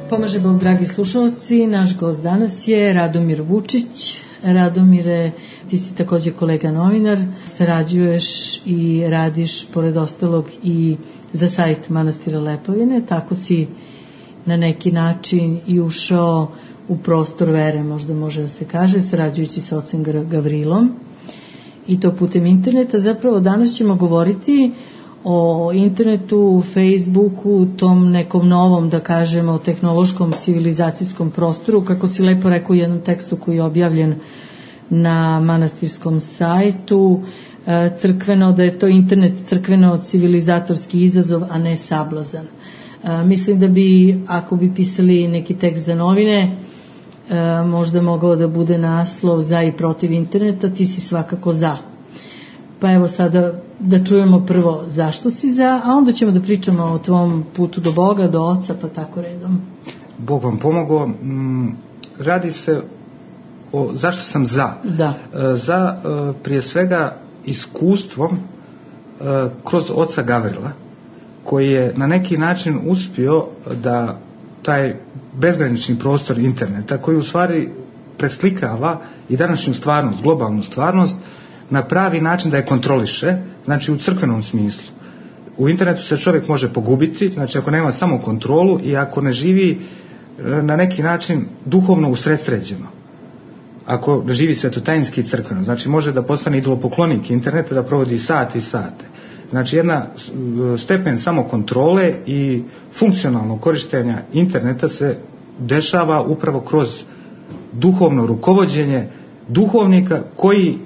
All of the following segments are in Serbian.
Pomaže Bog, dragi slušalci, naš gost danas je Radomir Vučić. Radomire, ti si takođe kolega novinar, sarađuješ i radiš pored ostalog i za sajt Manastira Lepovine, tako si na neki način i ušao u prostor vere, možda može da se kaže, sarađujući sa ocem Gavrilom i to putem interneta. Zapravo danas ćemo govoriti o internetu, Facebooku, tom nekom novom, da kažemo, tehnološkom civilizacijskom prostoru, kako si lepo rekao u jednom tekstu koji je objavljen na manastirskom sajtu, crkveno, da je to internet crkveno civilizatorski izazov, a ne sablazan. Mislim da bi, ako bi pisali neki tekst za novine, možda mogao da bude naslov za i protiv interneta, ti si svakako za. Pa evo sada da čujemo prvo zašto si za, a onda ćemo da pričamo o tvom putu do Boga, do Oca, pa tako redom. Bog vam pomogao. Radi se o zašto sam za. Da. Za prije svega iskustvom kroz oca Gavrila, koji je na neki način uspio da taj bezgranični prostor interneta, koji u stvari preslikava i današnju stvarnost, globalnu stvarnost, na pravi način da je kontroliše, znači u crkvenom smislu. U internetu se čovjek može pogubiti, znači ako nema samo kontrolu i ako ne živi na neki način duhovno usredsređeno. Ako ne živi svetotajinski i crkveno, znači može da postane idolopoklonik interneta, da provodi sate i sate. Znači jedna stepen samokontrole i funkcionalnog korištenja interneta se dešava upravo kroz duhovno rukovođenje duhovnika koji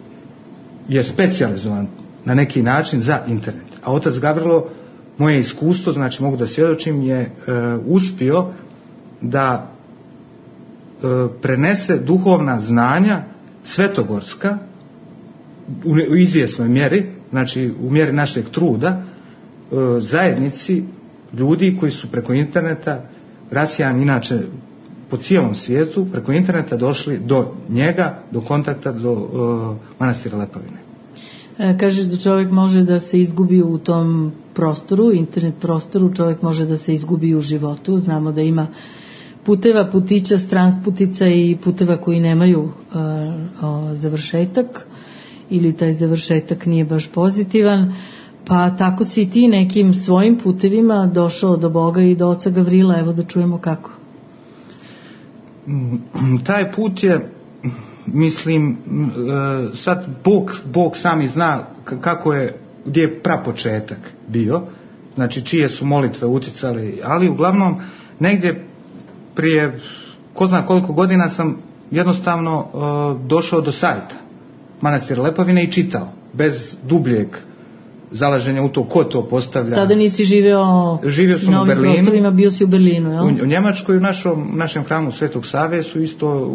je specijalizovan na neki način za internet. A otac Gavrilo, moje iskustvo, znači mogu da svjedočim, je uspio da prenese duhovna znanja svetogorska u izvjesnoj mjeri, znači u mjeri našeg truda, zajednici ljudi koji su preko interneta rasijani inače po cijelom svijetu, preko interneta došli do njega, do kontakta, do Manastira Lepovine. Kažeš da čovjek može da se izgubi u tom prostoru, internet prostoru, čovjek može da se izgubi u životu. Znamo da ima puteva, putića, transputica i puteva koji nemaju završetak ili taj završetak nije baš pozitivan, pa tako si i ti nekim svojim putevima došao do Boga i do oca Gavrila. Evo da čujemo kako. Taj put je, mislim, sad Bog sami zna kako je, gdje je prapočetak bio, znači čije su molitve uticale, ali uglavnom negdje prije ko zna koliko godina sam jednostavno došao do sajta Manastira Lepovine i čitao, bez dubljeg zalaženja u to ko to postavlja. Tada nisi živio sam na ovim prostorima, bio si u Berlinu, jel? U Njemačkoj, u našem hramu Svetog Save su isto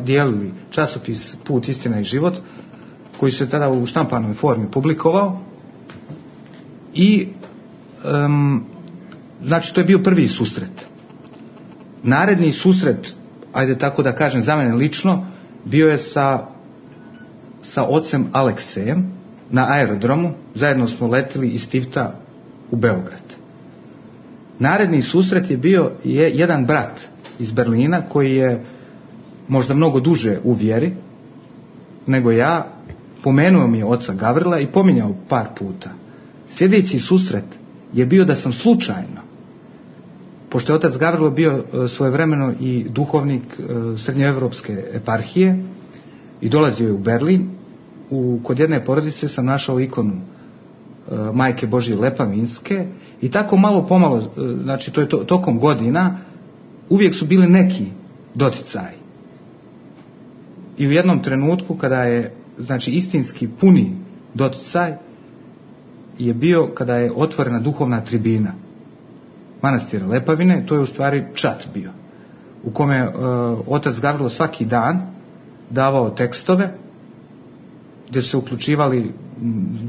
dijelili časopis Put, istina i život, koji se tada u štampanoj formi publikovao i znači to je bio prvi susret. Naredni susret, ajde tako da kažem za mene lično, bio je sa ocem Aleksejem na aerodromu. Zajedno smo letili iz Tivta u Beograd. Naredni susret je bio jedan brat iz Berlina koji je možda mnogo duže u vjeri nego ja, pomenuo mi je oca Gavrila i pominjao par puta. Sljedeći susret je bio da sam slučajno, pošto je otac Gavrilo bio svojevremeno i duhovnik srednjoevropske eparhije i dolazio je u Berlin, kod jedne porodice sam našao ikonu Majke Božje Lepavinske i tako malo pomalo, znači to je tokom godina, uvijek su bili neki doticaji. I u jednom trenutku kada je, znači, istinski puni doticaj je bio kada je otvorena duhovna tribina Manastira Lepavine. To je u stvari čat bio u kome otac Gavrilo svaki dan davao tekstove gdje su se uključivali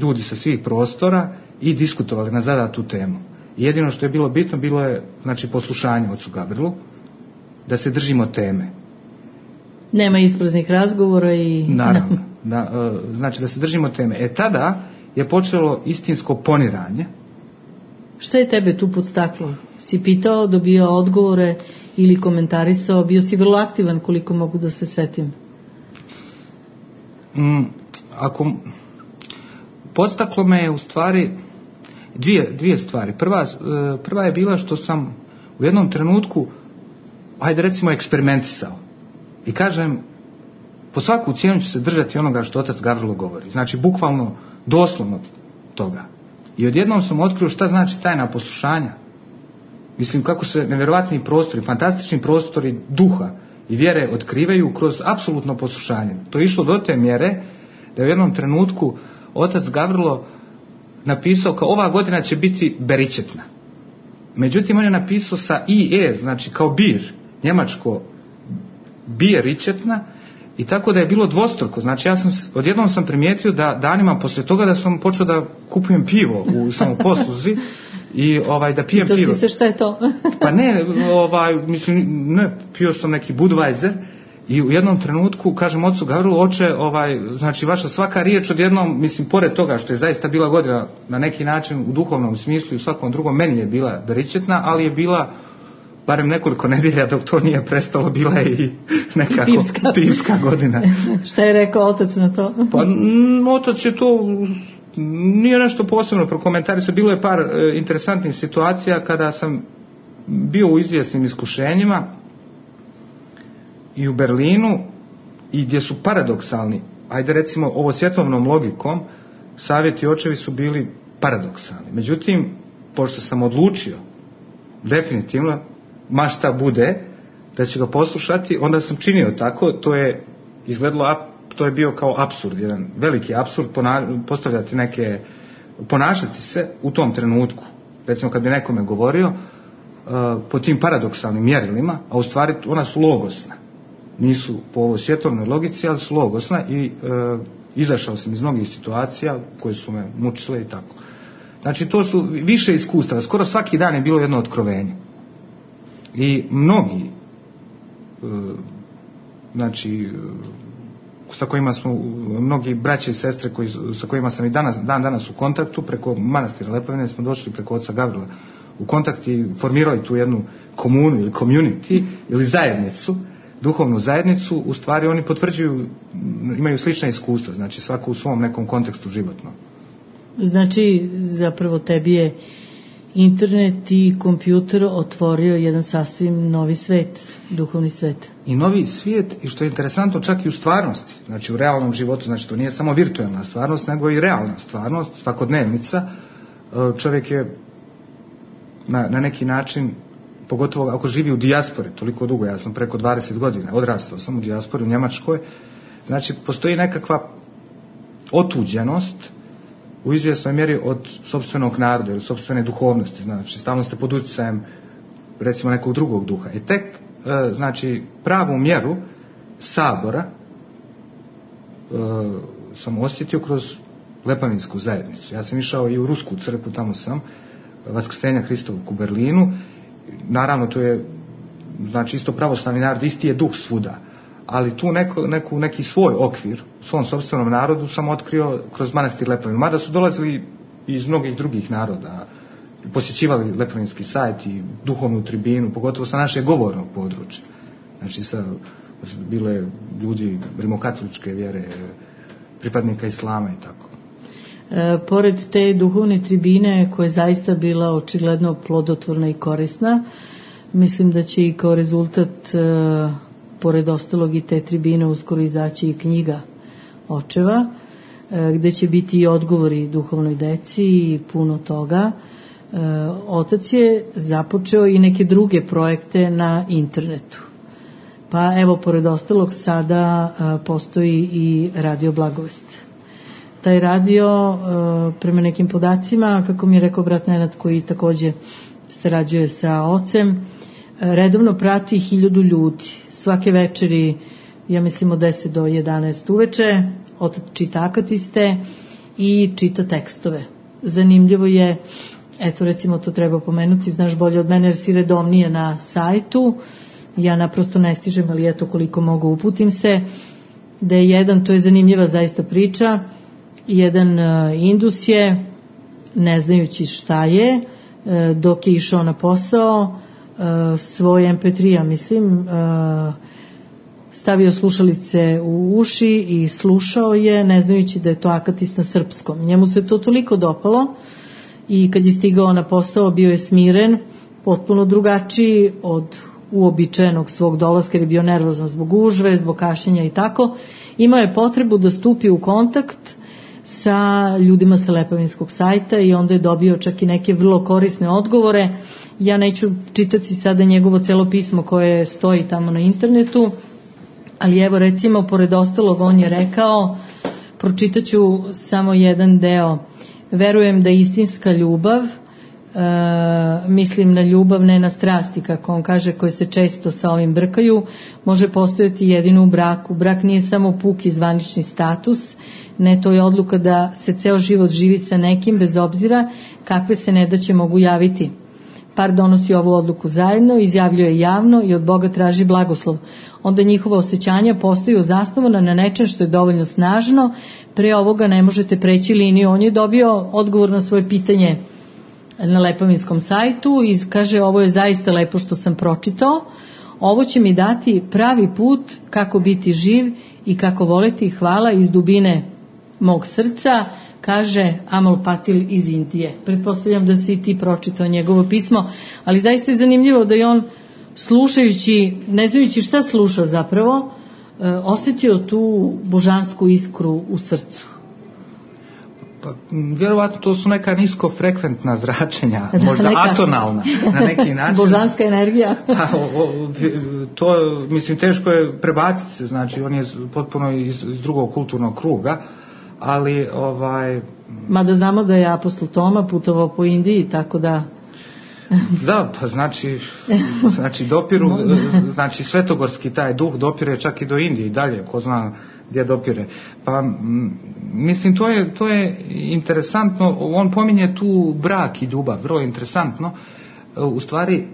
ljudi sa svih prostora i diskutovali na zadatu temu. Jedino što je bilo bitno bilo je, znači, poslušanje ocu Gavrilu, da se držimo teme. Nema ispraznih razgovora i... Naravno, znači da se držimo teme. Tada je počelo istinsko poniranje Šta je tebe tu podstaklo? Si pitao, dobio odgovore ili komentarisao? Bio si vrlo aktivan, koliko mogu da se setim. Podstaklo me je u stvari dvije stvari. Prva je bila što sam u jednom trenutku, hajde recimo, eksperimentisao. I kažem, po svaku cijenu ću se držati onoga što otac Gavrilo govori. Znači, bukvalno, doslovno toga. I odjednom sam otkrio šta znači tajna poslušanja. Mislim, kako se nevjerovatni prostori, fantastični prostori duha i vjere otkrivaju kroz apsolutno poslušanje. To je išlo do te mjere da je u jednom trenutku otac Gavrilo napisao kao ova godina će biti beričetna. Međutim, on je napisao sa IE, znači kao bir, njemačko biričetna, i tako da je bilo dvostruko. Znači, odjednom sam primijetio da danima poslije toga da sam počeo da kupujem pivo u samoposluzi i da pijem pivo. To si se, šta je to? Pa ne, pio sam neki Budweiser i u jednom trenutku kažem ocu Gavrilu, oče, znači vaša svaka riječ odjednom, mislim, pored toga što je zaista bila godina na neki način u duhovnom smislu i u svakom drugom, meni je bila beričetna, ali je bila barem nekoliko nedelja dok to nije prestalo, bila je i nekako pivska godina. Šta je rekao otac na to? Pa otac je to nije nešto posebno prokomentarisao. Bilo je par interesantnih situacija kada sam bio u izvjesnim iskušenjima i u Berlinu i gdje su paradoksalni, ajde recimo ovo svjetovnom logikom, savjeti očevi su bili paradoksalni. Međutim, pošto sam odlučio definitivno, ma šta bude, da ću ga poslušati, onda sam činio tako. To je izgledalo, to je bio kao apsurd, jedan veliki apsurd, postavljati ponašati se u tom trenutku, recimo kad bi nekome govorio po tim paradoksalnim mjerilima, a u stvari ona su logosna, nisu po ovoj svjetovnoj logici, ali su logosna i izašao sam iz mnogih situacija koje su me mučile i tako. Znači, to su više iskustava, skoro svaki dan je bilo jedno otkrovenje. I mnogi, znači, sa kojima smo, mnogi braće i sestre sa kojima sam i danas u kontaktu, preko manastira Lepovine smo došli preko oca Gavrila u kontakt i formirali tu jednu komunu ili community ili zajednicu, duhovnu zajednicu. U stvari oni potvrđuju, imaju slična iskustva, znači svako u svom nekom kontekstu životnom. Znači, zapravo tebi je internet i kompjuter otvorio jedan sasvim novi svet, duhovni svet. I novi svijet, i što je interesantno, čak i u stvarnosti, znači u realnom životu, znači to nije samo virtualna stvarnost, nego i realna stvarnost, svakodnevnica. Čovjek je na neki način, pogotovo ako živi u dijaspori toliko dugo, ja sam preko 20 godina, odrastao sam u dijaspori u Njemačkoj, znači postoji nekakva otuđenost u izvjesnoj mjeri od sopstvenog naroda ili sopstvene duhovnosti, znači stalno ste pod utjecajem recimo nekog drugog duha. I tek, znači, pravu mjeru sabora sam osjetio kroz Lepavinsku zajednicu. Ja sam išao i u Rusku crkvu, tamo sam, Vaskrsenja Hristovog u Berlinu. Naravno, to je, znači, isto pravoslavni narod, isti je duh svuda. Ali tu neki svoj okvir u svom sopstvenom narodu sam otkrio kroz manastir Lepavin. Mada su dolazili iz mnogih drugih naroda, posjećivali Lepavinski sajt i duhovnu tribinu, pogotovo sa našeg govornog područja. Znači, bilo je ljudi rimokatoličke vjere, pripadnika islama i tako. Pored te duhovne tribine koja je zaista bila očigledno plodotvorna i korisna, mislim da će i kao rezultat pored ostalog i te tribine uskoro izaći i knjiga očeva, gde će biti i odgovori duhovnoj deci i puno toga. Otac je započeo i neke druge projekte na internetu. Pa evo, pored ostalog sada postoji i Radio Blagovest. Taj radio, prema nekim podacima, kako mi je rekao brat Nenad koji takođe sarađuje sa ocem, redovno prati 1000 ljudi. Svake večeri, ja mislim od 10 do 11 uveče, otac čita akatiste i čita tekstove. Zanimljivo je, eto recimo to treba pomenuti, znaš bolje od mene jer si redovnije na sajtu, ja naprosto ne stižem, ali eto koliko mogu uputim se, da je jedan, to je zanimljiva zaista priča, jedan Indus je, ne znajući šta je, dok je išao na posao, svoj MP3, mislim, stavio slušalice u uši i slušao je, ne znajući da je to akatist na srpskom. Njemu se to toliko dopalo i kad je stigao na posao bio je smiren, potpuno drugačiji od uobičajenog svog dolaska, jer je bio nervozan zbog gužve, zbog kašljenja i tako. Imao je potrebu da stupi u kontakt sa ljudima sa Lepavinskog sajta i onda je dobio čak i neke vrlo korisne odgovore. Ja neću čitati sada njegovo celo pismo koje stoji tamo na internetu, ali evo recimo, pored ostalog, on je rekao, pročitaću samo jedan deo: verujem da istinska ljubav, mislim na ljubav, ne na strasti, kako on kaže, koje se često sa ovim brkaju, može postojati jedino u braku. Brak nije samo puki zvanični status, ne, to je odluka da se ceo život živi sa nekim, bez obzira kakve se nedaće mogu javiti. Par donosi ovu odluku zajedno, izjavljuje javno i od Boga traži blagoslov. Onda njihova osjećanja postaju zasnovana na nečem što je dovoljno snažno, pre ovoga ne možete preći liniju. On je dobio odgovor na svoje pitanje na Lepavinskom sajtu i kaže: ovo je zaista lepo što sam pročitao, ovo će mi dati pravi put kako biti živ i kako voleti. Hvala iz dubine mog srca, kaže Amal Patil iz Indije. Pretpostavljam da si i ti pročitao njegovo pismo, ali zaista je zanimljivo da je on, slušajući, ne znajući šta sluša zapravo, osjetio tu božansku iskru u srcu. Pa, vjerovatno to su neka niskofrekventna zračenja, možda atonalna na neki način. Božanska energija. To, mislim, teško je prebaciti se, znači on je potpuno iz drugog kulturnog kruga, ali mada znamo da je apostol Toma putovao po Indiji, tako da... Da, pa znači dopiru, znači svetogorski taj duh dopire čak i do Indije i dalje, ko zna gdje dopire. Pa mislim, to je interesantno, on pominje tu brak i ljubav, vrlo interesantno, u stvari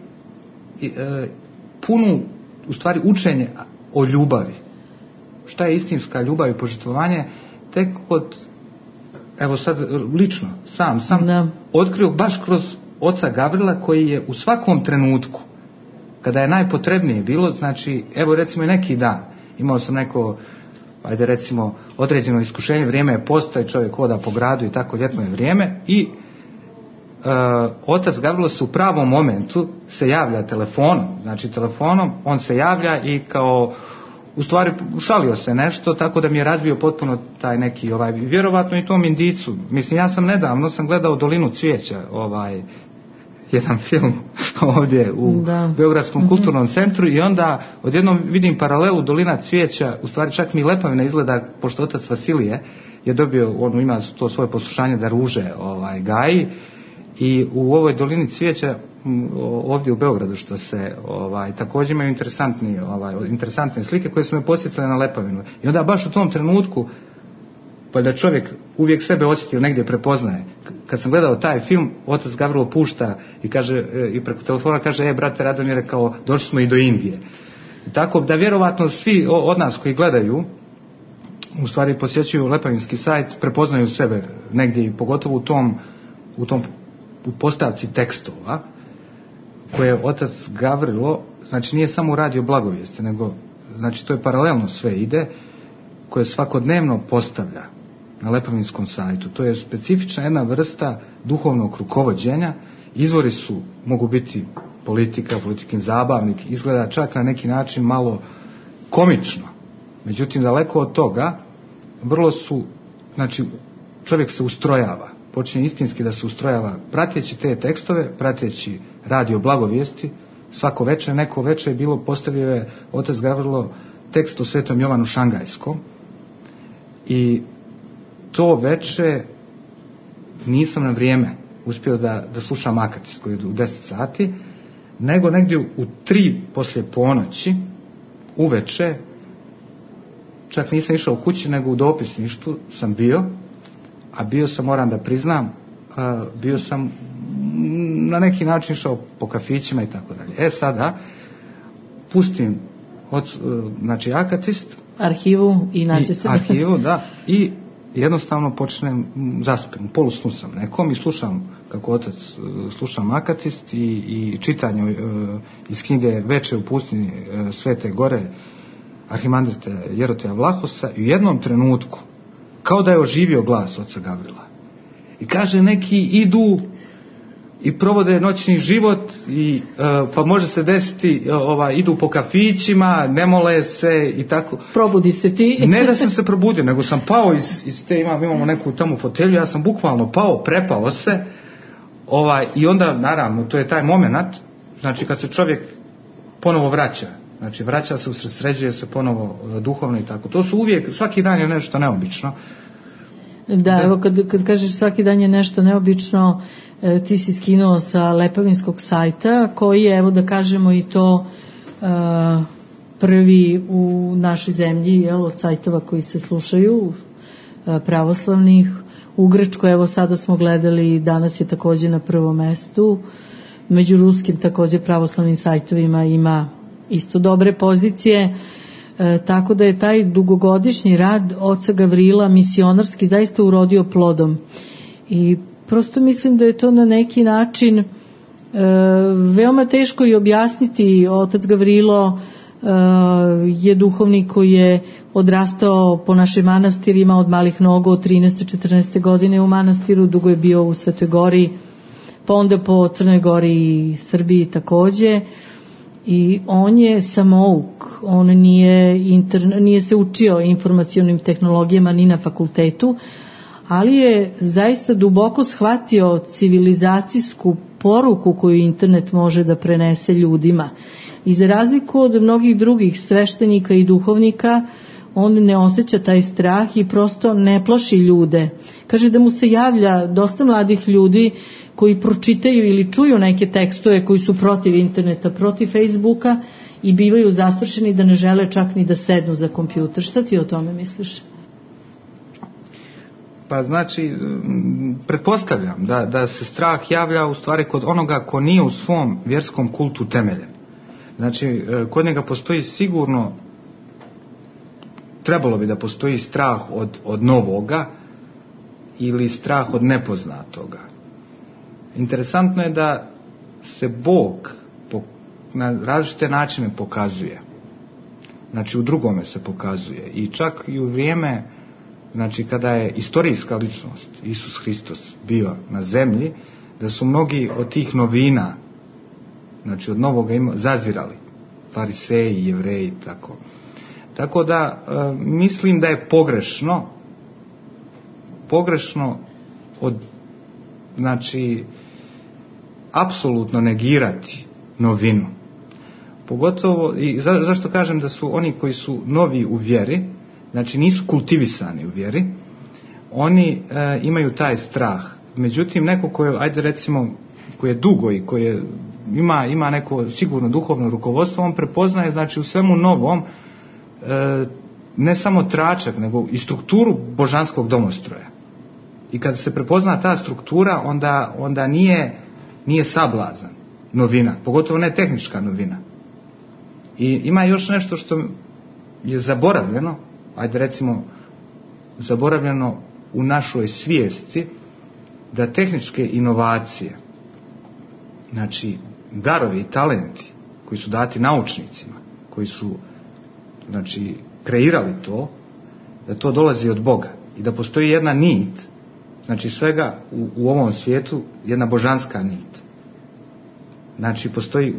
punu, u stvari učenje o ljubavi. Šta je istinska ljubav i požrtvovanje, tek kod, evo sad lično, sam otkrio baš kroz oca Gavrila, koji je u svakom trenutku, kada je najpotrebnije bilo, znači, evo recimo i neki dan, imao sam neko, ajde recimo, određeno iskušenje, vrijeme je posta i čovjek hoda po gradu i tako, ljetno je vrijeme, i otac Gavrilo se u pravom momentu se javlja telefonom, on se javlja i kao, u stvari šalio se nešto, tako da mi je razbio potpuno taj neki, vjerovatno i tom indicu. Mislim, ja sam nedavno gledao Dolinu cvijeća, jedan film ovdje u Beogradskom kulturnom centru, i onda odjednom vidim paralelu Dolina cvijeća, u stvari čak mi Lepavina izgleda, pošto otac Vasilije je dobio, on ima to svoje poslušanje da ruže gaji, i u ovoj Dolini cvijeća ovdje u Beogradu, što se također imaju interesantne slike koje su me podsjetile na Lepavinu. I onda baš u tom trenutku, pa da čovjek uvijek sebe osjeti ili negdje prepoznaje. Kad sam gledao taj film, otac Gavrilo pušta i kaže, i preko telefona kaže: brate Radomire, kao došli smo i do Indije. Tako da vjerovatno svi od nas koji gledaju, u stvari posjećuju Lepavinski sajt, prepoznaju sebe negdje, i pogotovo u postavci tekstova koje otac Gavrilo, znači nije samo radio blagovijesti, nego, znači to je paralelno sve ide, koje svakodnevno postavlja na Lepavinskom sajtu. To je specifična jedna vrsta duhovnog rukovođenja. Izvori mogu biti politikin zabavnik, izgleda čak na neki način malo komično. Međutim, daleko od toga, vrlo su, znači, čovjek se ustrojava, počinje istinski da se ustrojava, prateći te tekstove, prateći radio blagovijesti. Svako večer, neko večer je bilo, postavio je otac Gavrilo tekst o Svetom Jovanu Šangajskom, i to večer nisam na vrijeme uspio da slušam akatist koji je u 10 sati, nego negdje u 3 poslije ponoći uveče, čak nisam išao kući, nego u dopisništvu sam bio, a bio sam, moram da priznam, bio sam na neki način išao po kafićima i tako dalje. Sada pustim znači akatist, arhivu i naći se. Arhivu, da, i jednostavno počnem zaspim, polusnu sam nekom i slušam kako otac slušam Akatist i čitanje iz knjige Veče u pustinji Svete Gore arhimandrita Jeroteja Vlahosa i u jednom trenutku kao da je oživio glas oca Gavrila i kaže neki idu i provode noćni život i pa može se desiti idu po kafićima, ne mole se i tako. Probudi se ti. Ne da sam se probudio, nego sam pao iz te, imamo neku tamo fotelju, ja sam bukvalno pao, prepao se i onda naravno to je taj moment, znači kad se čovjek ponovo vraća, znači vraća se, usredsređuje se ponovo duhovno i tako. To su uvijek, svaki dan je nešto neobično. Da, evo kad kažeš svaki dan je nešto neobično, ti si skinuo sa Lepavinskog sajta, koji je, evo da kažemo i to, prvi u našoj zemlji, od sajtova koji se slušaju, pravoslavnih. U Grčkoj, evo sada smo gledali, danas je također na prvom mestu. Među ruskim također pravoslavnim sajtovima ima isto dobre pozicije. Tako da je taj dugogodišnji rad oca Gavrila misionarski zaista urodio plodom. I prosto mislim da je to na neki način veoma teško i objasniti. Otac Gavrilo je duhovnik koji je odrastao po našim manastirima od malih nogu, od 13. 14. godine u manastiru, dugo je bio u Svetoj Gori, pa onda po Crnoj Gori i Srbiji također. I on je samouk, on nije se učio informacionim tehnologijama ni na fakultetu, ali je zaista duboko shvatio civilizacijsku poruku koju internet može da prenese ljudima. I za razliku od mnogih drugih sveštenika i duhovnika, on ne osjeća taj strah i prosto ne plaši ljude. Kaže da mu se javlja dosta mladih ljudi koji pročitaju ili čuju neke tekstove koji su protiv interneta, protiv Facebooka i bivaju zastrašeni da ne žele čak ni da sednu za kompjuter. Šta ti o tome misliš? Pa znači, pretpostavljam da se strah javlja u stvari kod onoga ko nije u svom vjerskom kultu temeljen. Znači, kod njega postoji sigurno, trebalo bi da postoji strah od novoga ili strah od nepoznatoga. Interesantno je da se Bog na različite načine pokazuje. Znači u drugome se pokazuje. I čak i u vrijeme, znači kada je istorijska ličnost, Isus Hristos, bio na zemlji, da su mnogi od tih novina, znači od novoga zazirali. Fariseji, Jevreji i tako. Tako da mislim da je pogrešno znači apsolutno negirati novinu. Pogotovo, i zašto kažem da su oni koji su novi u vjeri, znači nisu kultivisani u vjeri, oni imaju taj strah. Međutim, neko koji je dugo i koji ima neko sigurno duhovno rukovodstvo, on prepoznaje, znači u svemu novom ne samo tračak, nego i strukturu božanskog domostroja. I kada se prepozna ta struktura, onda nije sablazan novina, pogotovo ne tehnička novina. I ima još nešto što je zaboravljeno, zaboravljeno u našoj svijesti, da tehničke inovacije, znači darovi i talenti koji su dati naučnicima, koji su znači kreirali to, da to dolazi od Boga i da postoji jedna nit, znači svega u ovom svijetu jedna božanska nit. Znači postoji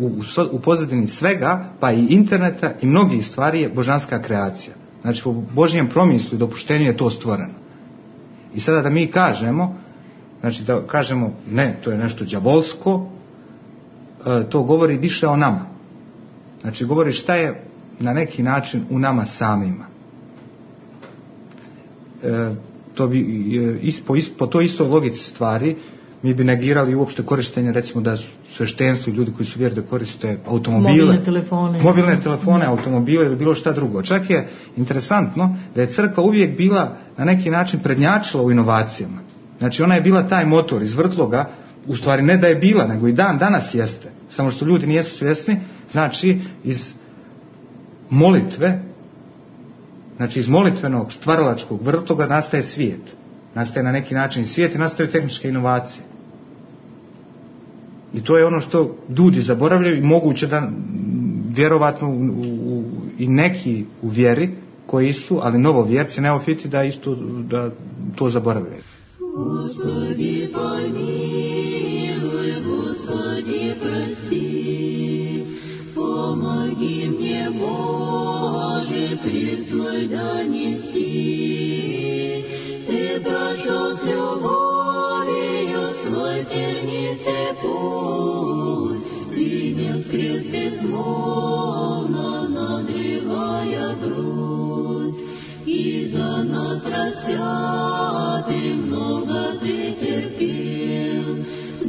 u pozadini svega, pa i interneta i mnogih stvari je božanska kreacija. Znači po Božjem promislu i dopuštenju je to stvoreno. I sada da mi kažemo, znači da kažemo ne, to je nešto đavolsko, to govori više o nama. Znači govori šta je na neki način u nama samima. To bi po toj istoj logici stvari mi bi negirali uopšte korištenje, recimo da sveštenstvo i ljudi koji su vjeri da koriste automobile, mobilne telefone, automobile ili bilo šta drugo. Čak je interesantno da je crkva uvijek bila na neki način prednjačila u inovacijama. Znači ona je bila taj motor, izvrtlo ga, u stvari ne da je bila, nego i danas jeste. Samo što ljudi nijesu svjesni, znači iz molitve Znači iz molitvenog stvaralačkog vrtoga nastaje svijet. Nastaje na neki način svijet i nastaju tehničke inovacije. I to je ono što ljudi zaboravljaju i moguće da vjerovatno i neki u vjeri koji su, ali novovjerci, neofiti, da isto da to zaboravljaju. Господи, помилуй, Господи, прости, помоги мне, Боже, призой донести. Ты прошел с любовью свой тернистый путь, Ты не воскрес безмолвно, надрывая грудь, и за нас распятый много Ты терпел,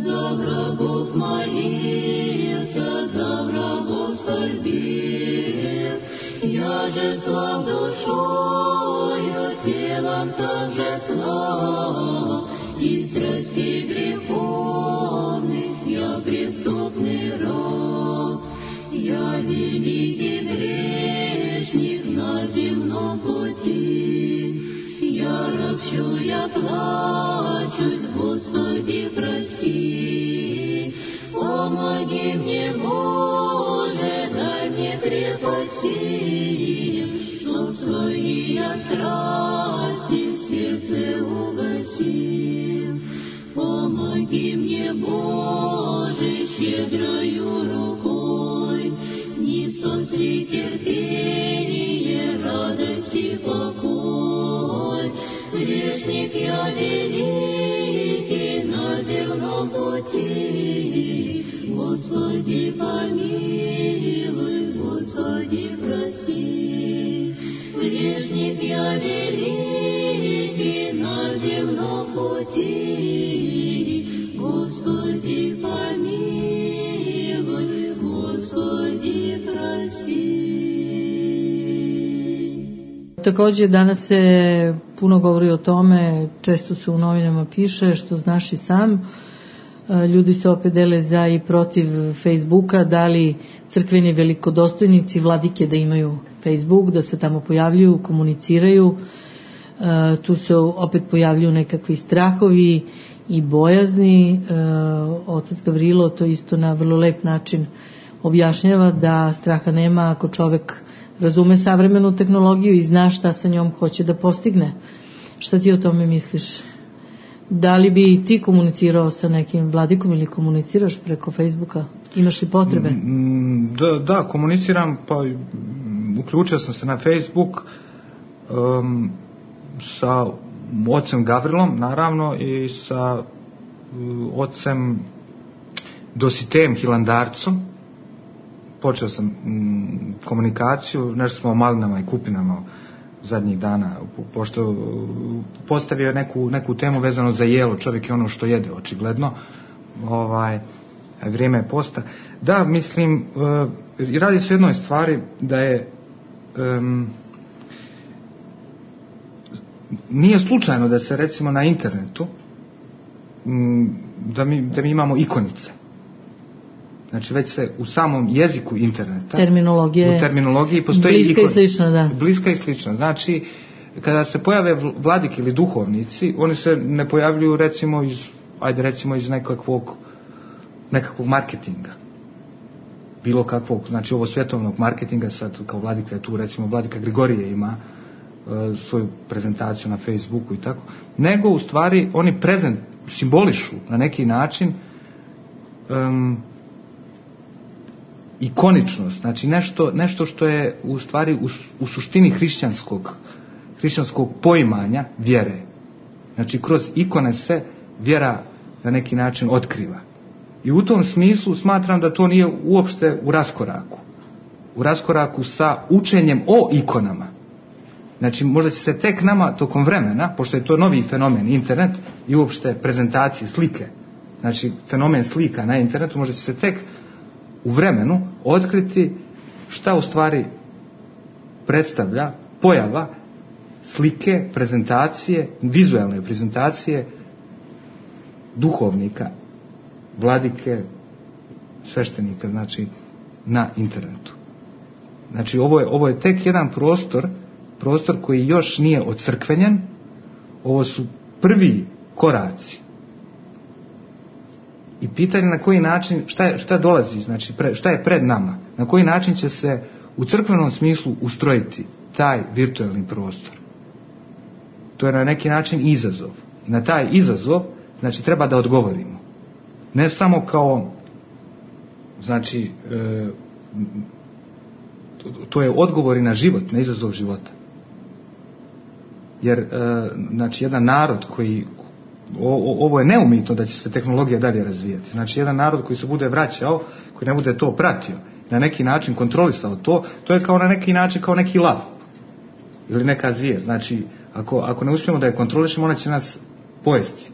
за врагов молился, за врагов скорбел. Я же слаб душою, телом также слаб, и страстей греховных я преступный раб. Я великий грешник на земном пути, я ропщу, я плачусь, Господи, прости. Помоги мне, Боже, дай мне крепости, чтоб свои я страсти в сердце угасил. Помоги мне, Боже, щедрою рукой, не спасли терпение, радость и покой. Грешник я великий на земном пути, Господи, помилуй, Господи, прости. Грешник я великий на земном пути, Господи, помилуй, Господи, прости. Takođe, danas se puno govori o tome, često se u novinama piše, što znaš i sam. Ljudi se opet dele za i protiv Facebooka, da li crkveni velikodostojnici, vladike da imaju Facebook, da se tamo pojavljuju, komuniciraju. Tu se opet pojavljuju nekakvi strahovi i bojazni. Otac Gavrilo to isto na vrlo lep način objašnjava, da straha nema ako čovek razume savremenu tehnologiju i zna šta sa njom hoće da postigne. Šta ti o tome misliš? Da li bi ti komunicirao sa nekim vladikom ili komuniciraš preko Facebooka? Imaš li potrebe? Da, komuniciram, pa uključio sam se na Facebook sa ocem Gavrilom, naravno, i sa ocem Dositejem Hilandarcom. Počeo sam komunikaciju, nešto smo o malinama i kupinama zadnjih dana, pošto postavio je neku temu vezano za jelo, čovjek je ono što jede, očigledno, vrijeme je posta. Da, mislim, radi se o jednoj stvari, da je nije slučajno da se recimo na internetu da mi imamo ikonice. Znači već se u samom jeziku interneta, u terminologiji postoji bliska i slična, da. Bliska i slična. Znači, kada se pojave vladiki ili duhovnici, oni se ne pojavljuju recimo iz nekakvog marketinga. Bilo kakvog, znači ovo svjetovnog marketinga, sad kao vladika je tu, recimo vladika Grigorije ima svoju prezentaciju na Facebooku i tako, nego u stvari oni simbolišu na neki način ikoničnost, znači nešto što je u stvari u suštini hrišćanskog poimanja vjere. Znači kroz ikone se vjera na neki način otkriva. I u tom smislu smatram da to nije uopšte u raskoraku sa učenjem o ikonama. Znači možda će se tek nama tokom vremena, pošto je to novi fenomen internet i uopšte prezentacije slike, znači fenomen slika na internetu, možda će se tek u vremenu otkriti šta u stvari predstavlja pojava slike, prezentacije, vizualne prezentacije duhovnika, vladike, sveštenika, znači na internetu. Znači ovo je tek jedan prostor prostor koji još nije ocrkvenjen. Ovo su prvi koraci. I pitanje na koji način, šta dolazi, znači šta je pred nama, na koji način će se u crkvenom smislu ustrojiti taj virtualni prostor. To je na neki način izazov. I na taj izazov, znači, treba da odgovorimo. Ne samo kao, znači, to je odgovor i na život, na izazov života. Jer, znači, jedan narod koji, ovo je neumitno da će se tehnologija dalje razvijati. Znači, jedan narod koji se bude vraćao, koji ne bude to pratio, na neki način kontrolisao to je kao na neki način kao neki lav ili neka zvijer. Znači, ako ne uspijemo da je kontrolišemo, ona će nas pojesti.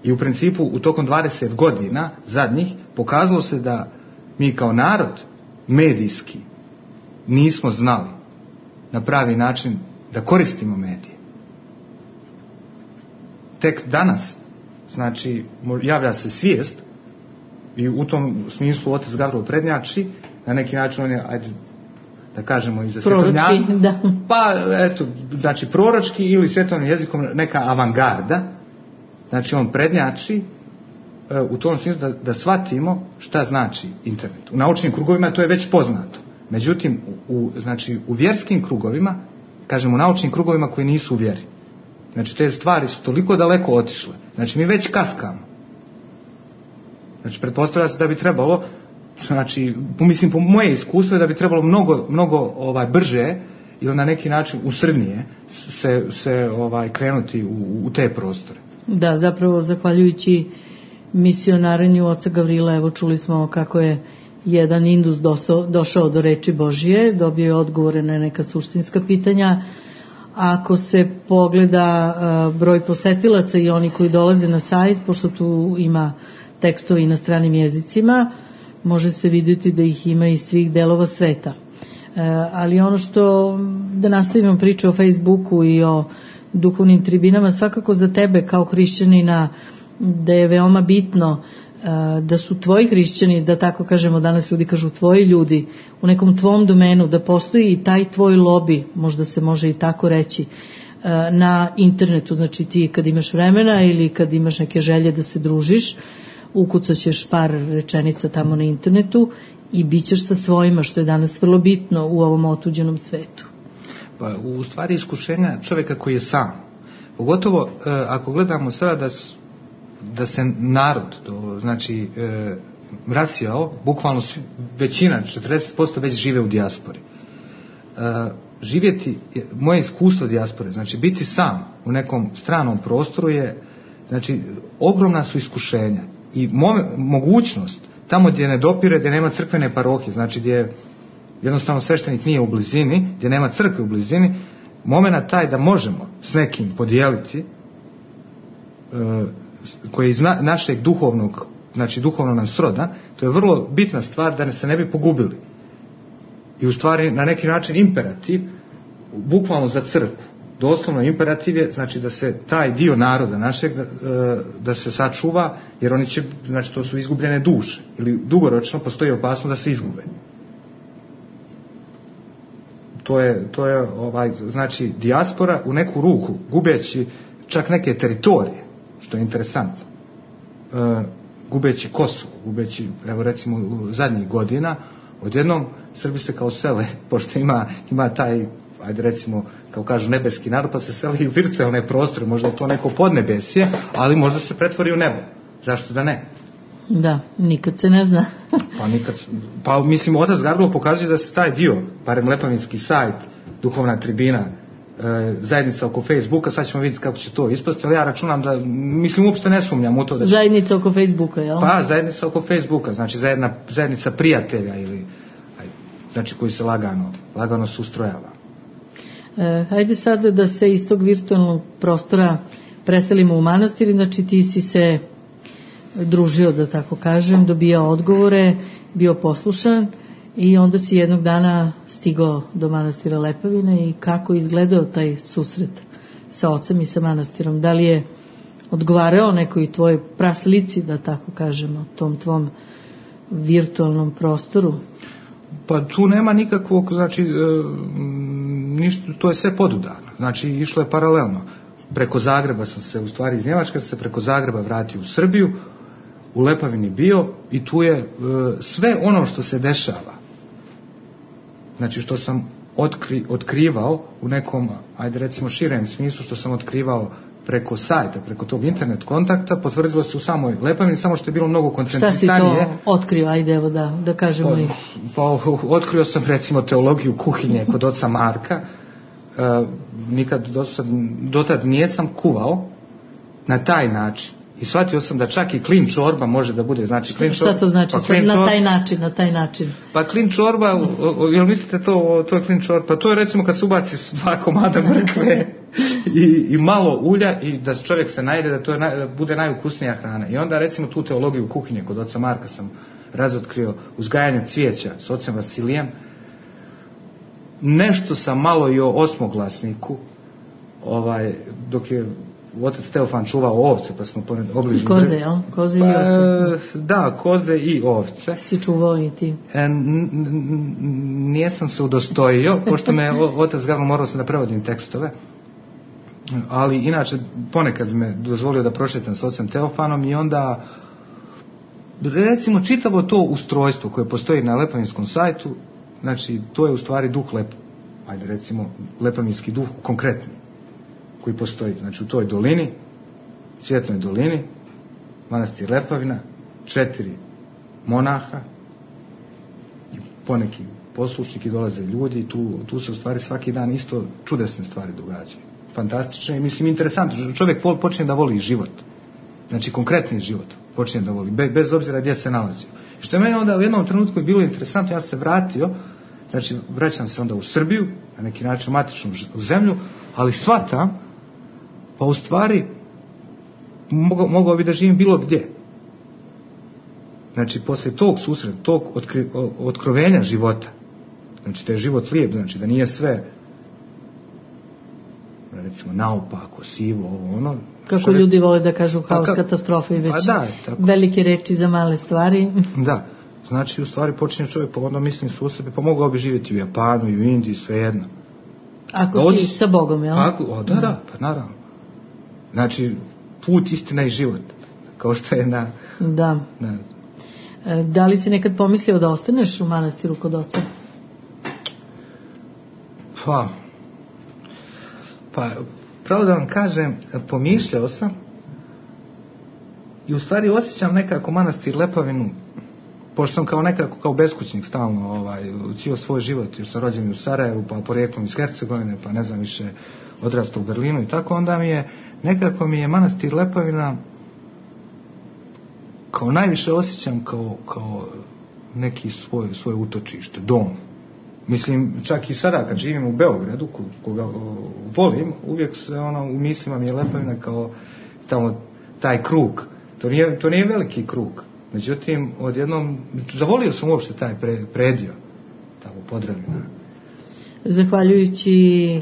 I u principu u tokom 20 godina zadnjih pokazalo se da mi kao narod medijski nismo znali na pravi način da koristimo medije. Tek danas, znači, javlja se svijest i u tom smislu otac Gavrilo prednjači, na neki način on je, ajde da kažemo, i za svjetovnjaka, da. Pa eto, znači proročki ili svjetovnim jezikom neka avangarda, znači on prednjači u tom smislu da shvatimo šta znači internet. U naučnim krugovima to je već poznato. Međutim, znači u vjerskim krugovima, kažemo u naučnim krugovima koji nisu u vjeri, znači te stvari su toliko daleko otišle. Znači mi već kaskamo. Znači pretpostavlja se da bi trebalo, znači mislim po moje iskustvo, da bi trebalo mnogo brže ili na neki način usrednije se krenuti u te prostore. Da, zapravo zahvaljujući misionarenju oca Gavrila, evo čuli smo kako je jedan Indus došao do reči Božije, dobio je odgovore na neka suštinska pitanja. Ako se pogleda broj posetilaca i oni koji dolaze na sajt, pošto tu ima tekstovi na stranim jezicima, može se vidjeti da ih ima iz svih delova sveta. Ali ono što, da nastavimo priču o Facebooku i o duhovnim tribinama, svakako za tebe kao hrišćanina da je veoma bitno da su tvoji hrišćani, da tako kažemo, danas ljudi kažu tvoji ljudi, u nekom tvom domenu, da postoji i taj tvoj lobby, možda se može i tako reći, na internetu. Znači ti kad imaš vremena ili kad imaš neke želje da se družiš, ukucat ćeš par rečenica tamo na internetu i bit ćeš sa svojima, što je danas vrlo bitno u ovom otuđenom svetu. Pa u stvari iskušenja čovjeka koji je sam, pogotovo ako gledamo sada da se narod, znači rasijao, bukvalno većina, 40% već žive u dijaspori. Živjeti, moje iskustvo dijaspore, znači biti sam u nekom stranom prostoru je, znači, ogromna su iskušenja i mogućnost tamo gdje ne dopire, gdje nema crkvene parohije, znači gdje jednostavno sveštenik nije u blizini, gdje nema crkve u blizini, momenat taj da možemo s nekim podijeliti koji je iz našeg duhovnog, znači duhovno nam sroda, to je vrlo bitna stvar da se ne bi pogubili. I u stvari na neki način imperativ, bukvalno za crkvu, doslovno imperativ je, znači da se taj dio naroda našeg da se sačuva, jer oni će, znači to su izgubljene duše ili dugoročno postoji opasnost da se izgube. To je znači dijaspora u neku ruku gubeći čak neke teritorije, što je interesantno, gubeći Kosovo, gubeći, evo recimo u zadnjih godina, odjednom Srbi se kao sele, pošto ima taj, ajde recimo, kao kažu nebeski narod, pa se seli u virtualne prostore, možda je to neko podnebesje, ali možda se pretvori u nebo. Zašto da ne? Da, nikad se ne zna. Pa mislim, otac Gavrilo pokazuje da se taj dio, barem Lepavinski sajt, duhovna tribina, zajednica oko Facebooka, sad ćemo vidjeti kako će to ispasti, ali ja računam da, mislim, uopšte ne sumnjam u to da će... Zajednica oko Facebooka, jel? Pa, zajednica oko Facebooka, znači zajednica prijatelja ili, znači koji se lagano se ustrojava. Hajde sad da se iz tog virtualnog prostora preselimo u manastir, znači ti si se družio, da tako kažem, dobijao odgovore, bio poslušan i onda si jednog dana stigao do manastira Lepavine. I kako izgledao taj susret sa ocem i sa manastirom? Da li je odgovarao nekoj tvojoj praslici, da tako kažemo, tom tvom virtualnom prostoru? Pa tu nema nikakvog, znači ništa, to je sve podudarno, znači išlo je paralelno. Preko Zagreba sam se, u stvari iz Njemačka sam se preko Zagreba vratio u Srbiju, u Lepavini bio i tu je sve ono što se dešava, znači što sam otkrivao u nekom, ajde recimo širem smislu, što sam otkrivao preko sajta, preko tog internet kontakta, potvrdilo se u samoj Lepavini, samo što je bilo mnogo koncentrisanije. Šta si to otkrio, ajde evo da kažemo pa otkrio sam recimo teologiju kuhinje kod oca Marka. Nikad dotad nijesam kuvao na taj način. I shvatio sam da čak i klin čorba može da bude, znači klin čorba. Šta to znači? Pa na taj način. Pa klin čorba, jel mislite to je klin čorba? Pa to je recimo kad se ubaci 2 komada mrkve i malo ulja i da čovjek se najde, da bude najukusnija hrana. I onda recimo tu teologiju kuhinje kod oca Marka sam razotkrio, uzgajanje cvijeća s ocem Vasilijem. Nešto sam malo i o osmoglasniku, dok je otac Teofan čuvao ovce, pa smo obližili. Koze, jel? Koze i ovce. Da, koze i ovce. Si čuvao i ti? Nijesam se udostojio, pošto me otac Gavro morao sam da prevodim tekstove, ali inače ponekad me dozvolio da prošetam s ocem Teofanom i onda recimo čitavo to ustrojstvo koje postoji na lepavinskom sajtu, znači to je u stvari duh ajde recimo lepavinski duh konkretni koji postoji, znači u toj dolini, Cvjetnoj dolini, manastir Lepavina, 4 monaha i poneki poslušnici, dolaze ljudi i tu se u stvari svaki dan isto čudesne stvari događaju, fantastične i mislim interesantno, čovjek počinje da voli život, znači konkretni život počinje da voli, bez obzira gdje se nalazio. Što je meni onda u jednom trenutku je bilo interesantno, ja sam se vratio, znači vraćam se onda u Srbiju, na neki način matičnu zemlju, ali shvatam, pa u stvari mogao bi da živim bilo gdje. Znači poslije tog susreta, tog otkrovenja života, znači da je život lijep, znači da nije sve recimo naopako, sivo, ovo ono. Kako ljudi vole da kažu haos, katastrofe i već velike reči za male stvari. Da, znači u stvari počinje čovjek pa onda mislim su u sebi, pa mogao bi živjeti u Japanu i u Indiji, svejedno. Ako si sa Bogom, jel? Da, pa naravno. Znači put, istina i život, kao što je na... Da. Da li si nekad pomislio da ostaneš u manastiru kod oca? Pa pravo da vam kažem, pomišljao sam i u stvari osjećam nekako manastir Lepavinu, pošto sam kao nekako kao beskućnik stalno cijel svoj život, jer sam rođen u Sarajevu, pa porijeklom iz Hercegovine, pa ne znam više odrastao u Berlinu i tako, onda nekako mi je manastir Lepavina kao najviše osjećam kao neki svoje utočište, dom. Mislim, čak i sada kad živim u Beogradu, koga volim, uvijek se u mislima mi je Lepavina kao tamo taj krug. To nije veliki krug. Međutim, odjednom, zavolio sam uopšte taj predio, tamo Podravina. Zahvaljujući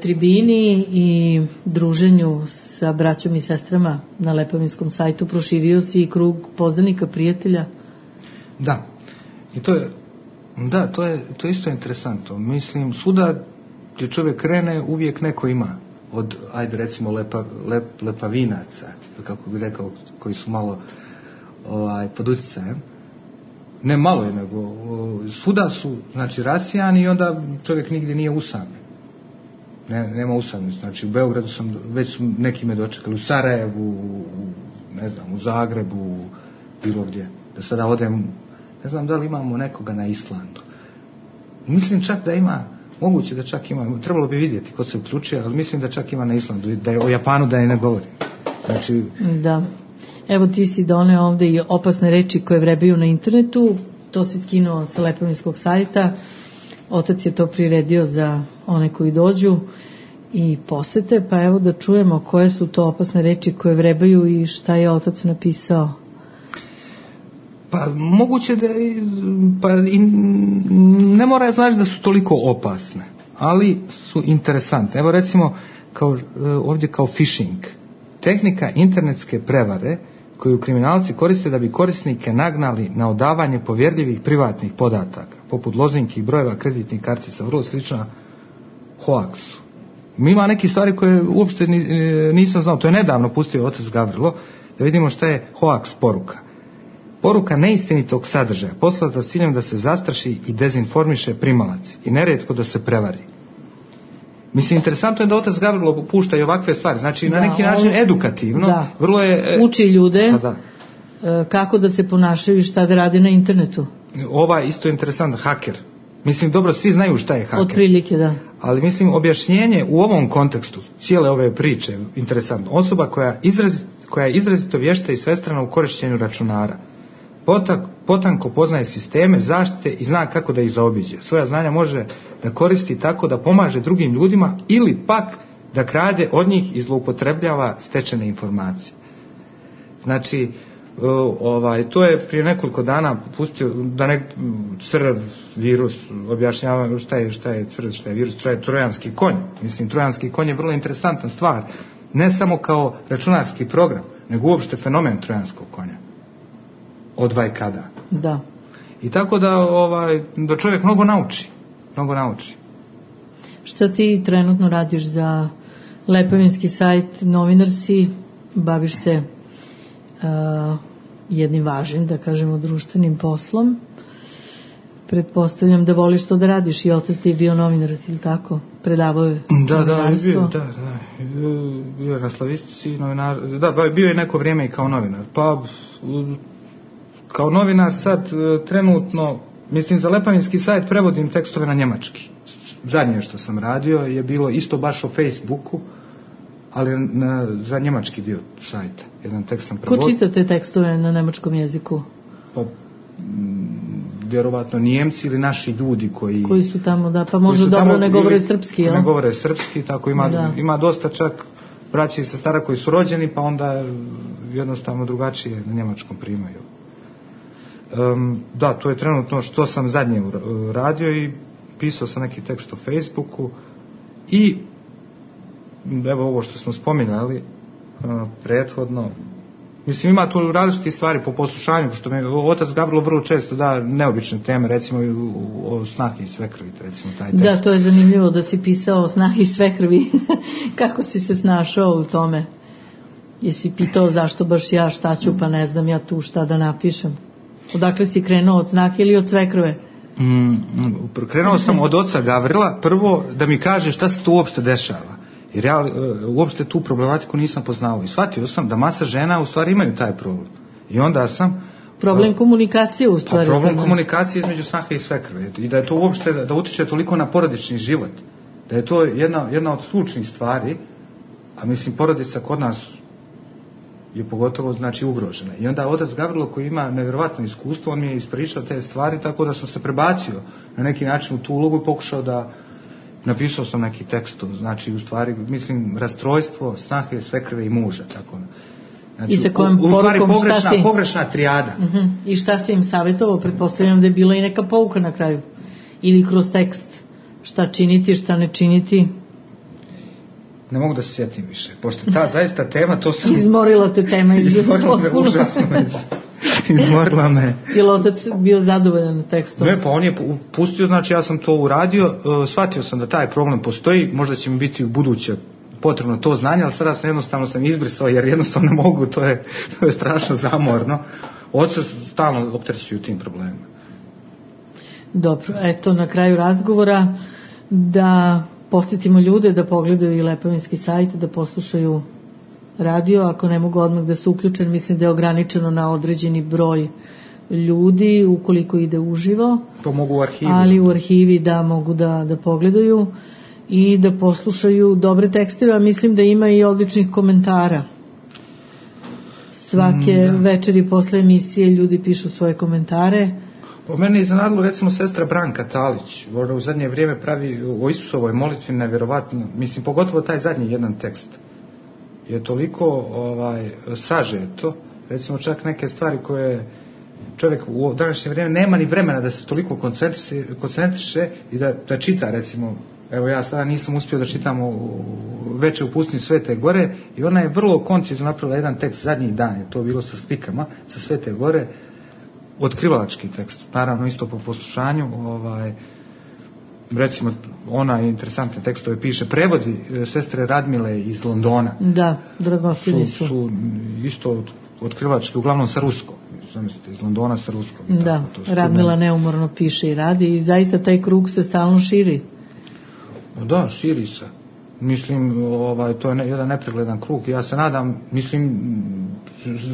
tribini i druženju sa braćom i sestrama na Lepavinskom sajtu, proširio si i krug poznanika, prijatelja. Da, i to je isto interesantno. Mislim, svuda gdje čovjek krene, uvijek neko ima. Od, ajde recimo, lepavinaca, kako bi rekao, koji su malo pod utjecajem. Ne malo je, nego svuda su, znači, rasijani i onda čovjek nigdje nije usamljen. Nema usamljenosti. Znači, u Beogradu već su neki me dočekali, u Sarajevu, u Zagrebu, bilo gdje. Da sada odem, ne znam da li imamo nekoga na Islandu. Mislim čak da ima, moguće da čak ima, trebalo bi vidjeti ko se uključuje, ali mislim da čak ima na Islandu, da je o Japanu da ne govorim. Znači... Da. Evo ti si doneo ovdje i opasne reči koje vrebaju na internetu, to si skinuo sa Lepavinskog sajta, otac je to priredio za one koji dođu i posete, pa evo da čujemo koje su to opasne reči koje vrebaju i šta je otac napisao. Pa moguće da ne mora znači da su toliko opasne, ali su interesantne. Evo recimo ovdje kao phishing, tehnika internetske prevare koju kriminalci koriste da bi korisnike nagnali na odavanje povjerljivih privatnih podataka, poput lozinki i brojeva kreditnih kartica, vrlo slična hoaksu. Ima neke stvari koje uopšte nisam znao. To je nedavno pustio otac Gavrilo, da vidimo šta je hoaks poruka. Poruka neistinitog sadržaja, poslata s ciljem da se zastraši i dezinformiše primalac i nerijetko da se prevari. Mislim, interesantno je da otac Gavrilo pušta i ovakve stvari, znači na neki način edukativno. Vrlo je, uči ljude kako da se ponašaju i šta da rade na internetu. Isto je interesantno, haker. Mislim, dobro, svi znaju šta je haker. Otprilike, da. Ali mislim, objašnjenje u ovom kontekstu cijele ove priče, interesantno, osoba koja je izrazito vješta i svestrana u korištenju računara, potanko poznaje sisteme zaštite i zna kako da ih zaobiđe. Svoja znanja može da koristi tako da pomaže drugim ljudima ili pak da krade od njih i zloupotrebljava stečene informacije. Znači, to je prije nekoliko dana pustio da crv virus objašnjava šta je crv, šta je virus, šta je trojanski konj. Mislim, trojanski konj je vrlo interesantna stvar, ne samo kao računarski program, nego uopšte fenomen trojanskog konja od vajkada. Da. I tako da čovjek mnogo nauči. Šta ti trenutno radiš za Lepovinski sajt, novinar si, baviš se jednim važnim, da kažemo, društvenim poslom. Pretpostavljam da voliš to da radiš, i otac ti je bio novinar, ili tako? Predavao je novinarstvo? Bio je na slavistici novinar, bio je neko vrijeme i kao novinar. Pa, kao novinar sad trenutno, mislim, za Lepovinski sajt prevodim tekstove na njemački. Zadnje što sam radio je bilo isto baš o Facebooku, ali za njemački dio sajta. Jedan tekst sam prevodio. Ko čita te tekstove na nemačkom jeziku? Pa, vjerovatno Nijemci ili naši ljudi koji su tamo, da, pa možda dobro ne govore srpski, jel? Ne govore srpski, tako ima dosta čak braća i sestara koji su rođeni, pa onda jednostavno drugačije na njemačkom primaju. Da, to je trenutno što sam zadnje radio i pisao sam neki tekst o Facebooku i evo ovo što smo spominjali prethodno. Mislim, ima tu različite stvari po poslušanju, što mi otac Gavrilo vrlo često da neobične teme, recimo o snahi i svekrvi, recimo taj tekst. Da, to je zanimljivo da si pisao o snahi i svekrvi. Kako si se snašao u tome? Jesi pitao zašto baš ja, šta ću, pa ne znam ja tu šta da napišem? Odakle si krenuo, od snahe ili od svekrve? Krenuo sam od oca Gavrila, prvo da mi kaže šta se tu uopšte dešava. Jer ja uopšte tu problematiku nisam poznao. I shvatio sam da masa žena u stvari imaju taj problem. I onda sam... Problem komunikacije u stvari. Problem komunikacije između snahe i svekrve. I da je to uopšte, da utiče toliko na porodični život. Da je to jedna od ključnih stvari, a mislim porodica kod nas je pogotovo znači ugrožena. I onda otac Gavrilo koji ima nevjerovatno iskustvo, on mi je ispričao te stvari, tako da sam se prebacio na neki način u tu ulogu i pokušao da napisao sam neki tekst, znači u stvari mislim rastrojstvo snahe, svekrve i muža, tako. Znači, i sa kojom porukom pogrešna trijada. I šta si im savjetovao? Pretpostavljam da je bila i neka pouka na kraju. Ili kroz tekst. Šta činiti, šta ne činiti? Ne mogu da se sjetim više. Pošto ta zaista tema, to sam... Izmorila te tema. Izmorila me, užasno me. Izmorila me. Je li otac bio zadovoljan tekstom? Ne, pa on je pustio, znači ja sam to uradio, shvatio sam da taj problem postoji, možda će mi biti u buduće potrebno to znanje, ali sada sam jednostavno izbrisao, jer jednostavno ne mogu, to je strašno zamorno. Oca stalno opterećuju tim problemima. Dobro, eto na kraju razgovora da podsjetimo ljude da pogledaju i Lepovinski sajt, da poslušaju radio, ako ne mogu odmah da se uključen, mislim da je ograničeno na određeni broj ljudi ukoliko ide uživo. To mogu u arhivi. Ali u arhivi da mogu da pogledaju i da poslušaju dobre tekstove, a mislim da ima i odličnih komentara. Svake večeri posle emisije ljudi pišu svoje komentare. Po mene je iznenadilo recimo sestra Branka Talić, ona u zadnje vrijeme pravi o Isusovoj molitvi nevjerovatno, mislim pogotovo taj zadnji jedan tekst je toliko sažeto, recimo čak neke stvari koje čovjek u današnje vrijeme nema ni vremena da se toliko koncentriše i da čita, recimo, evo ja sada nisam uspio da čitam Veče u pustinji Svete Gore i ona je vrlo koncizno napravila jedan tekst, zadnji dan je to bilo sa slikama sa Svete Gore, otkrivalački tekst, naravno isto po poslušanju, recimo ona interesantne tekstove piše, prevodi sestre Radmile iz Londona. Da, dragocjeni su. Su isto otkrivački, uglavnom sa ruskom. Zamislite, iz Londona sa ruskom. Da, Radmila neumorno piše i radi i zaista taj krug se stalno širi. Da, širi se. Mislim, to je jedan nepregledan krug. Ja se nadam,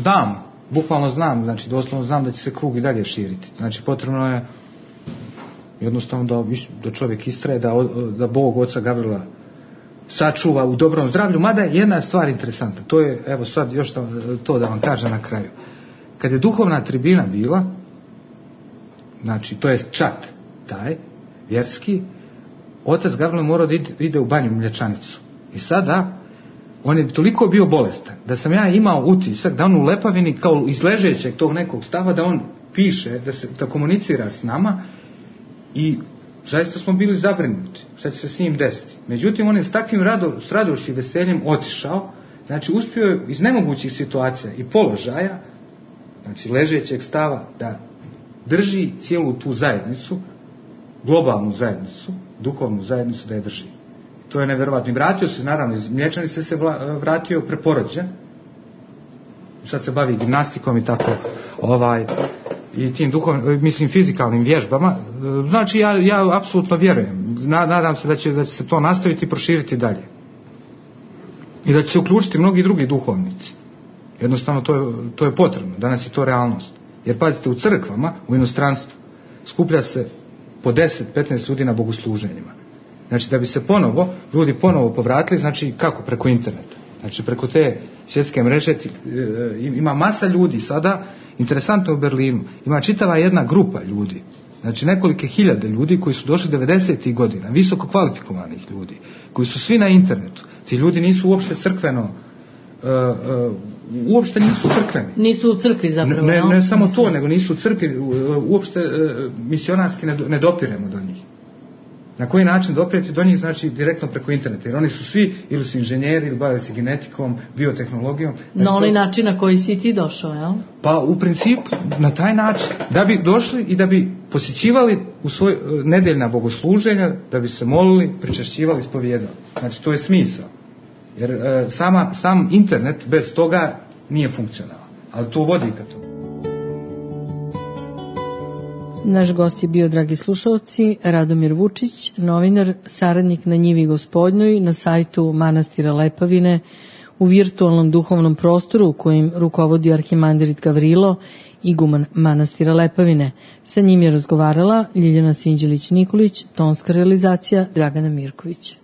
znam, bukvalno znam, znači doslovno znam da će se krug i dalje širiti. Znači potrebno je jednostavno da čovjek istraje, da Bog oca Gavrila sačuva u dobrom zdravlju, mada je jedna stvar interesantna, to je, evo sad još to da vam kažem na kraju. Kad je duhovna tribina bila, znači to je čat taj, vjerski, otac Gavrilo morao da ide u banju Mlječanicu. I sada, on je toliko bio bolestan, da sam ja imao utisak da on u Lepavini, kao iz ležećeg tog nekog stava, da on piše, da komunicira s nama, i zaista smo bili zabrinuti šta će se s njim desiti. Međutim, on je s takvim radošću i veseljem otišao, znači uspio je iz nemogućih situacija i položaja, znači ležećeg stava, da drži cijelu tu zajednicu, globalnu zajednicu, duhovnu zajednicu, da je drži. To je nevjerovatno. I vratio se, naravno, iz Mlječanice se vratio preporođen, sad se bavi gimnastikom i tako, i tim fizikalnim vježbama. Znači ja apsolutno vjerujem, nadam se da će se to nastaviti i proširiti dalje i da će se uključiti mnogi drugi duhovnici. Jednostavno to je potrebno, danas je to realnost, jer pazite, u crkvama u inostranstvu skuplja se po 10-15 ljudi na bogosluženjima. Znači da bi se ljudi ponovo povratili, znači kako? Preko interneta, znači preko te svjetske mreže. Ima masa ljudi sada. Interesantno, u Berlinu ima čitava jedna grupa ljudi, znači nekolike hiljade ljudi koji su došli 90. godina, visoko kvalifikovanih ljudi, koji su svi na internetu. Ti ljudi nisu uopšte crkveno, uopšte nisu crkveni. Nisu u crkvi zapravo. Ne samo to, nego nisu u crkvi, uopšte misionarski ne dopiremo do njih. Na koji način doprijeti do njih? Znači direktno preko interneta, jer oni su svi ili su inženjeri, ili bave se genetikom, biotehnologijom. Znači, na onaj način na koji si ti došao, jel? Pa u principu na taj način, da bi došli i da bi posjećivali u svoj nedeljna bogosluženja, da bi se molili, pričašćivali, ispovijedali. Znači to je smisao. Jer sam internet bez toga nije funkcionalan, ali to vodi ka tomu. Naš gost je bio, dragi slušalci, Radomir Vučić, novinar, saradnik na Njivi Gospodnjoj, na sajtu manastira Lepavine, u virtualnom duhovnom prostoru u kojim rukovodi arhimandirit Gavrilo, iguman manastira Lepavine. Sa njim je razgovarala Ljiljana Sinđelić-Nikolić, tonska realizacija Dragana Mirković.